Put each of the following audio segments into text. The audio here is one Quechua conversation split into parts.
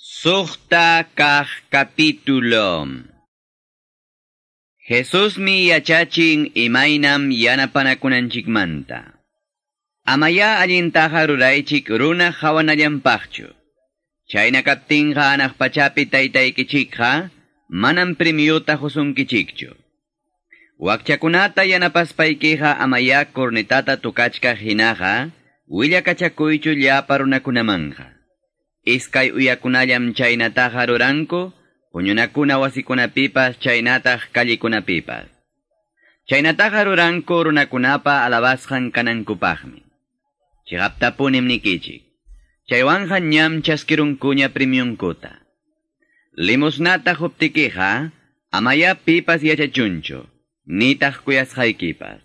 Suqta kaq capítulo. Jesusmi yachachin imaynam yanapanakunanchikmanta. Amaya allintaqa ruraychik runa hawanallanpaqchu. Chayna kaptinqa anaq pachapi taytaykichikqa manam premiuta husunkichikchu. Wakchakunata yanapaspaykiqa amaya cornetata tukachkaq hinaqa willakachakuychu llapa runakunamanqa. Iskay uyakunallam chaynataqa ruranku, huñunakuna wasikunapipas chaynataq kallikunapipas. Chaynataqa ruranku runakunapa alabasqan kanankupaqmi. Chiqaptapunim nikichik. Chaywanqa ñam chaskirunkuña premiunkuta. Limosnata huptikiqa, amaya pipas yachachunchu, nitaq kuyasqaykipas.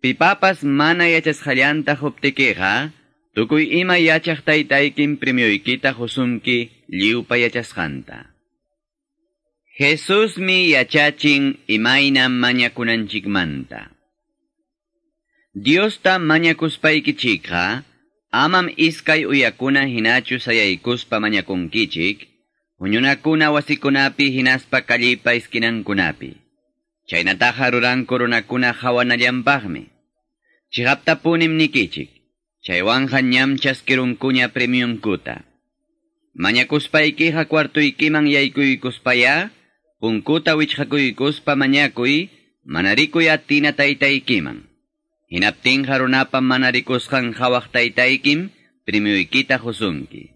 Pipapas mana yachasqallanta huptikiqa, tukuy ima yachaq taytaykim premioykita husunki lliwpa yachasqanta. Jesusmi yachachin imaynam mañakunanchikmanta. Diosta mañakuspaykichikqa, amam iskay uyakuna hinachu sayaykuspa mañakunkichik, huñunakuna wasikunapi hinaspa kallipa iskinankunapi. Chaynataqa ruranku runakuna hawanallanpaqmi. Chiqaptapunim nikichik. Chaywanqa ñam chaskirunkuña premiunkuta. Mañakuspaykiqa cuartuykiman yaykuykuspaya, punkuta wichqakuykuspa mañakuy, mana rikuy atina taytaykiman. Hinaptinqa runapa mana rikusqan hawaq taytaykim, premiuykita husunki.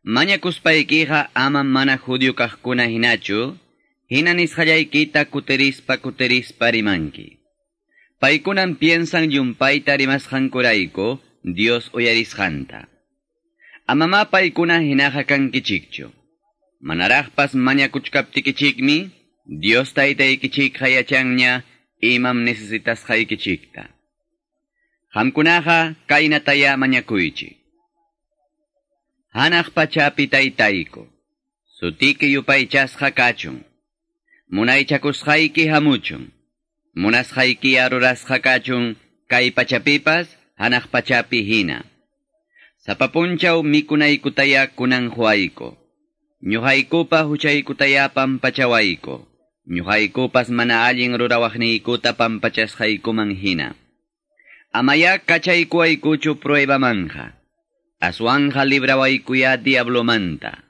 Mañakuspaykiqa ama mana judío kaqkuna hinachu, hina nisqallaykita kuterispa kuterispa rimanki. Paykunan piensan llumpayta rimasqankurayku Dios uyarisqanta. Amama paykuna hinaqa kankichikchu. Manaraqpas mañakuchkaptikichikmi, Dios taytaykichikqa yachanña imam necesitasqaykichikta. Qamkunaqa kaynataya mañakuychik. Hanaq pachapi taytayku, sutiki yupaychasqa kachun, munaychakusqayki hamuchun. Munasqayki rurasqa kachun kay pachapipas hanaq pachapi hina. Sapa punchaw mikunaykutaya kunan huayko. Ñuqaykupa huchaykutaya pampachawayku. Ñuqaykupas mana allin rurawaqniykuta pampachasqaykuman hina. Amaya kachaykuwaykuchu pruebamanja. Aswanja librawaykuya diablomanta.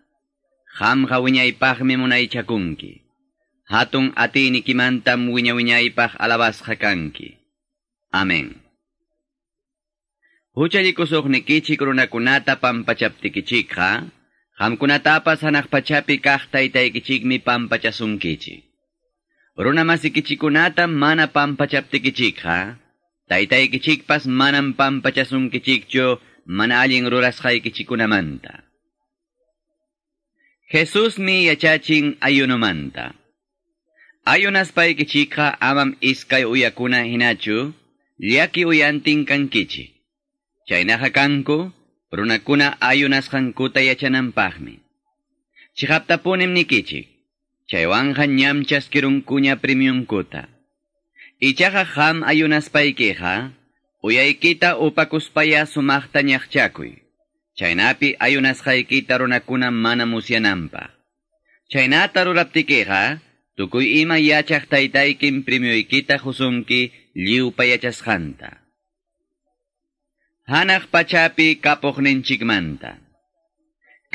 Qamqa wiñaypaqmi munaychakunki. Hatun atiynikimantam wiña wiñaypaq alabasqa kanki. Amén. Huchallikusuqnikichik runakunata pampachaptikichikqa, qamkunatapas hanaq pachapi kaq taytaykichikmi pampachasunkichik. Runamasikichikunata mana pampachaptikichikqa, taytaykichikpas manam pampachasunkichikchu mana allin rurasqaykichikunamanta. Jesusmi yachachin ayunumanta. Ayunaspaykichikqa amam iskay uyakuna hinachu, llaki uyantin kankichik. Chaynaqa kanku, runakuna ayunasqankuta yachananpaqmi. Chiqaptapunim nikichik, chaywanqa ñam chaskirunkuña premiunkuta. Ichaqa qam ayunaspaykiqa, uyaykita upakuspaya sumaqta ñaqchakuy. Chaynapi ayunasqaykita runakuna mana musyananpaq. Chaynata ruraptikiqa, tukuy ima yachaq taytaykim premioykita husunki lliwpa yachasqanta. Hanaq pachapi kapuqninchikmanta.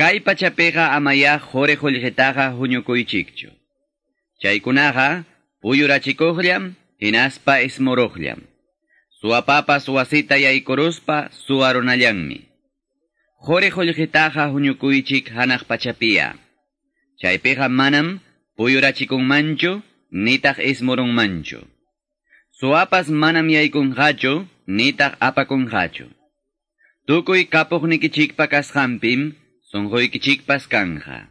Kay pachapiqa amaya quri qullqitaqa huñukuychikchu. Chaykunaqa puyurachikuqllam hinaspa ismuruqllam. Suwapapas wasita yaykuruspa suwarunallanmi. Quri qullqitaqa huñukuychik hanaq pachapiya. Chaypiqa manam puyurachikunmanchu, nitaq ismurunmanchu. Suwapas manam yaykunqachu, nitaq apakunqachu. Tukuy kapuqnikichikpa kasqanpim, sunquykichikpas kanja.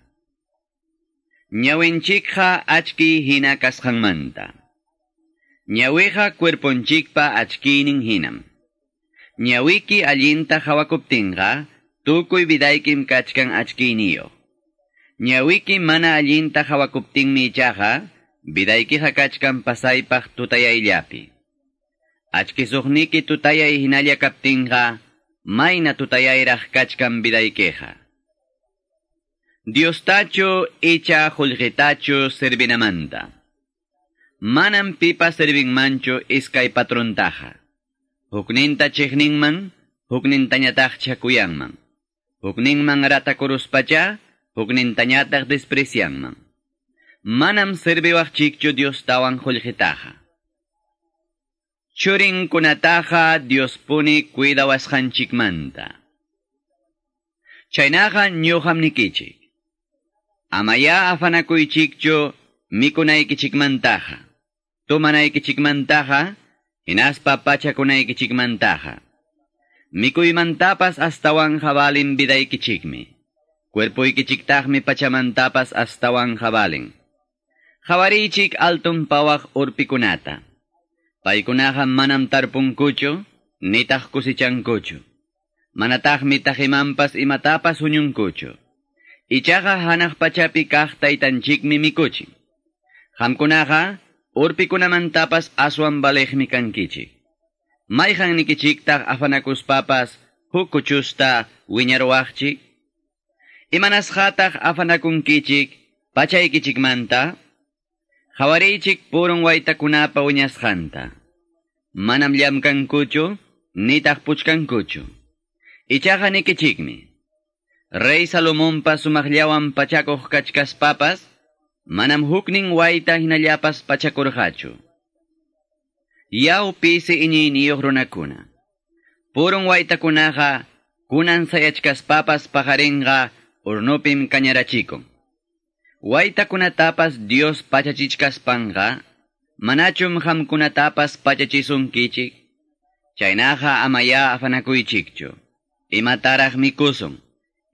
Ñawinchikqa achki hina kasqanmanta. Ñawiqa cuerponchikpa achkiynin hinam. Ñawiki allinta hawakuptinqa, tukuy vidaykim kachkan achkiyniyuq. Ñawiki mana allinta hawakuptinmi ichaqa, vidaykiqa kachkan pasaypaq tutayayllapi. Achkisuqniki tutayay hinalla kaptinqa, mayna tutayayraq kachkan vidaykiqa. Diostachu icha qullqitachu servinamanta. Manam pipas servinmanchu iskay patrontaqa. Hukninta chiqninman, huknintañataqcha kuyanman. Hukninman ratakuruspacha, huknintañataq desprecianman. Manam serviwaqchikchu Diostawan qullqitaqa. Churinkunataqa Diospuni cuidawasqanchikmanta. Chaynaqa ñuqam nikichik. Amaya afanakuychikchu mikunaykichikmantaqa, tumanaykichikmantaqa, hinaspa pachakunaykichikmantaqa. Mikuymantapas astawan valin vidaykichikmi. Cuerpoykichiktaqmi pachamantapas astawan valin. Qhawariychik altun pawaq urpikunata. Paykunaqa manam tarpunkuchu, nitaq kusichankuchu. Manataqmi taqimanpas imatapas huñunkuchu. Ichaqa hanaq pachapi kaq taytanchikmi mikuchin. Qamkunaqa urpikunamantapas aswan valeqmi kankichik. Mayqannikichiktaq afanakuspapas huk kuchusta wiñaruwaqchik? Imanasqataq afanakunkichik pachaykichikmanta? Qhawariychik purun waytakunapa wiñasqanta. Manam llamkankuchu, nitaq puchkankuchu. Ichaqa nikichikmi. Rey Salomonpa sumaqllawan pachakuq kachkaspapas, manam huknin wayta hinallapas pachakurqachu. Yaw pisi iñiyniyuq runakuna. Purun waytakunaqa kunan sayachkaspapas paqarinqa hurnupim kañarachikun. Waytakunatapas Dios pachachichkaspanqa, manachum qamkunatapas pachachisunkichik. Chaynaqa amaya afanakuychikchu. Imataraq mikusun,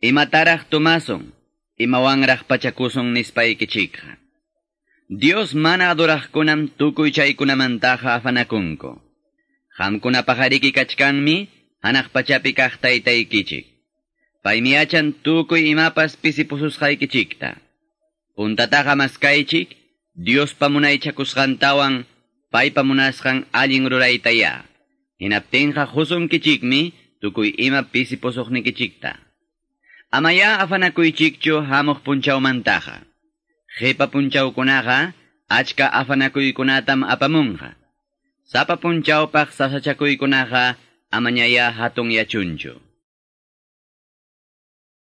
imataraq tumasun, imawanraq pachakusun nispaykichikqa. Dios mana adoraqkunam tukuy chaykunamantaqa afanakunku. Qamkunapaqariki kachkanmi hanaq pachapi kaq taytaykichik. Paymi yachan tukuy imapas pisipususqaykichikta. Puntataqa maskaychik, Diospa munaychakusqantawan paypa munasqan allin ruraytaya. Hinaptinqa qusunkichikmi tukuy ima pisipusuqnikichikta. Amaya afanakuychikchu hamuq punchawmantaqa. Qipa punchawkunaqa achka afanakuykunatam apamunqa. Sapa punchawpaq sasachakuykunaqa amañaya hatun yachunchu.